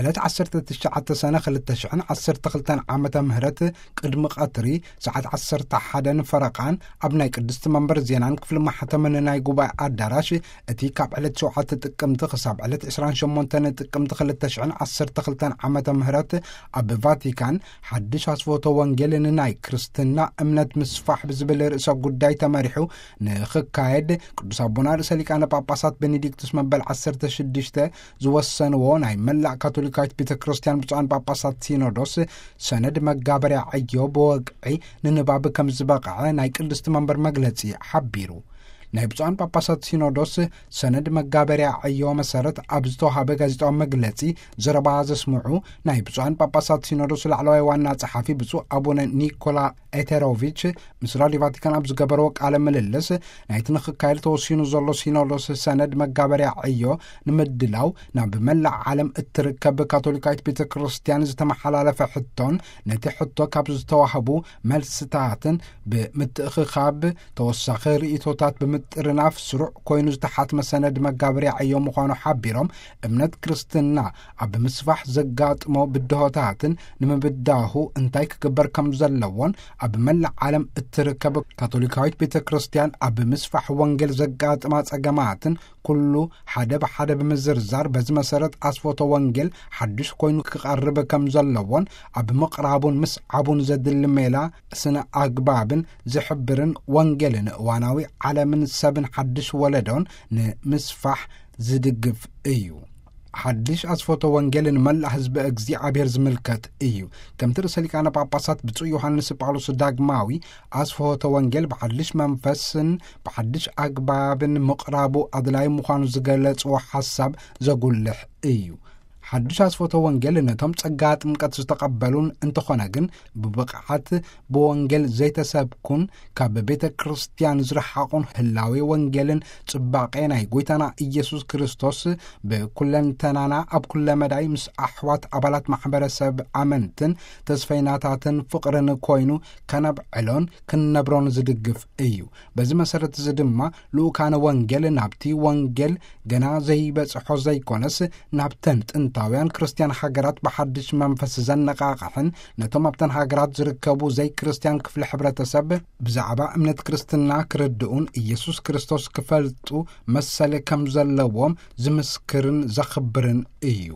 ዕለት ዓሰርተ ትሽዓተ ሰነ ክልተ ሽሕን ዓሰርተ ክልተን ዓመተ ምህረት ቅድሚ ቀትሪ ሰዓት ዓሰርተ ሓደን ፈረቓን ኣብ ናይ ቅድስቲ መንበር ዜናን ክፍሊ ማሕተምን ናይ ጉባኤ ኣዳራሽ፣ እቲ ካብ ዕለት ሸውዓተ ጥቅምቲ ክሳብ ዕለት ዕስራን ሸሞንተን ጥቅምቲ ክልተ ሽሕን ዓሰርተ ክልተን ዓመተ ምህረት ኣብ ቫቲካን ሓድሽ ኣስፎቶ ወንጌል ንናይ ክርስትና እምነት ምስፋሕ ብዝብል ርእሰ ጉዳይ ተመሪሑ ንኽካየድ ቅዱስ ኣቦና ርእሰ ሊቃነ ጳጳሳት ቤኔዲክቱስ መበል ዓሰርተ ሽዱሽተ ዝወሰንዎ ናይ መላእ ካቶሊካዊት ቤተ ክርስቲያን ብፁዓን ጳጳሳት ሲኖዶስ ሰነድ መጋበርያ ዕዮ ብወግዒ ንንባብ ከም ዝበቕዐ ናይ ቅድስቲ መንበር መግለጺ ሓቢሩ። ናይ ብፁዓን ጳጳሳት ሲኖዶስ ሰነድ መጋበርያ ዕዮ መሰረት ኣብ ዝተዋሃበ ጋዜጣዊ መግለጺ ዘረባ ዘስምዑ ናይ ብፁዓን ጳጳሳት ሲኖዶስ ላዕለዋይ ዋና ጸሓፊ ብፁዕ ኣቡነ ኒኮላ ኤቴሮቪች ምስ ራዲዮ ቫቲካን ኣብ ዝገበርዎ ቃለ ምልልስ፣ ናይቲ ንኽካየድ ተወሲኑ ዘሎ ሲኖዶስ ሰነድ መጋበርያ ዕዮ ንምድላው ናብ መላእ ዓለም እትርከብ ካቶሊካዊት ቤተ ክርስቲያን ዝተመሓላለፈ ሕቶን ነቲ ሕቶ ካብ ዝተዋህቡ መልስታትን ብምትእኽኻብ ተወሳኺ ርእይቶታት ብምጥርናፍ ስሩዕ ኮይኑ ዝተሓትመ ሰነድ መጋበርያ ዕዮ ምዃኑ ሓቢሮም፣ እምነት ክርስትና ኣብ ምስፋሕ ዘጋጥሞ ብድሆታትን ንምብዳሁ እንታይ ክግበር ከም ዘለዎን ኣብ መላእ ዓለም እትርከብ ካቶሊካዊት ቤተ ክርስቲያን ኣብ ምስፋሕ ወንጌል ዘጋጥማ ጸገማትን ኩሉ ሓደ ብሓደ ብምዝርዛር፣ በዚ መሰረት ኣስፎቶ ወንጌል ሓድሽ ኮይኑ ክቐርብ ከም ዘለዎን ኣብ ምቕራቡን ምስዓቡን ዘድሊ ሜላ ስነ ኣግባብን ዝሕብርን ወንጌልን እዋናዊ ዓለምን ሰብን ሓድሽ ወለዶን ንምስፋሕ ዝድግፍ እዩ። ሓድሽ ኣስፎቶ ወንጌል ንመላእ ህዝቢ እግዚኣብሔር ዝምልከት እዩ። ከምቲ ርእሰ ሊቃነ ጳጳሳት ብፁዕ ዮሃንስ ጳውሎስ ዳግማዊ ኣስፎቶ ወንጌል ብሓድሽ መንፈስን ብሓድሽ ኣግባብን ምቕራቡ ኣድላይ ምዃኑ ዝገለጽዎ ሓሳብ ዘጉልሕ እዩ። ሓድሽ ኣስፎቶ ወንጌል ነቶም ጸጋ ጥምቀት ዝተቐበሉን እንተኾነ ግን ብብቕዓት ብወንጌል ዘይተሰብኩን ካብ ቤተ ክርስቲያን ዝረሓቑን ህላዌ ወንጌልን ጽባቄ ናይ ጎይታና ኢየሱስ ክርስቶስ ብኩለንተናና ኣብ ኩለ መዳይ ምስ ኣሕዋት ኣባላት ማሕበረሰብ ኣመንትን ተስፈይናታትን ፍቕርን ኮይኑ ከነብዕሎን ክንነብሮን ዝድግፍ እዩ። በዚ መሰረት እዚ ድማ ልኡካነ ወንጌል ናብቲ ወንጌል ገና ዘይበጽሖ ዘይኮነስ ናብተን ጥንታውያን ክርስትያን ሃገራት ብሓድሽ መንፈስ ዘነቓቕሕን ነቶም ኣብተን ሃገራት ዝርከቡ ዘይክርስትያን ክፍሊ ሕብረተሰብ ብዛዕባ እምነት ክርስትና ክርድኡን ኢየሱስ ክርስቶስ ክፈልጡ መሰል ከም ዘለዎም ዝምስክርን ዘኽብርን እዩ።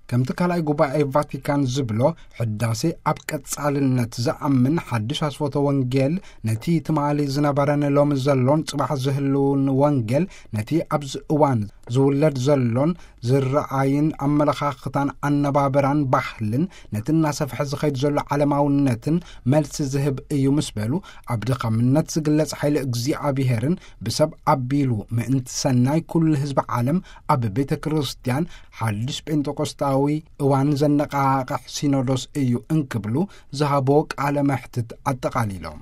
ከምቲ ካልኣይ ጉባኤ ቫቲካን ዝብሎ፣ ሕዳሴ ኣብ ቀጻልነት ዝኣምን ሓድሽ ኣስፎቶ ወንጌል ነቲ ትማሊ ዝነበረን ሎሚ ዘሎን ጽባሕ ዝህልውን ወንጌል ነቲ ኣብዚ እዋን ዝውለድ ዘሎን ዝረኣይን ኣመለኻኽታን ኣነባብራን ባህልን ነቲ እናሰፍሐ ዝኸይድ ዘሎ ዓለማውነትን መልሲ ዝህብ እዩ ምስ በሉ፣ ኣብ ድኻምነት ዝግለጽ ሓይሊ እግዚኣብሔርን ብሰብ ኣቢሉ ምእንቲ ሰናይ ኩሉ ህዝቢ ዓለም ኣብ ቤተ ክርስቲያን ሓድሽ ጴንጠቆስጣዊ እዋን ዘነቓቕሕ ሲኖዶስ እዩ እንክብሉ ዝሃቦ ቃለ መሕትት ኣጠቓሊሎም።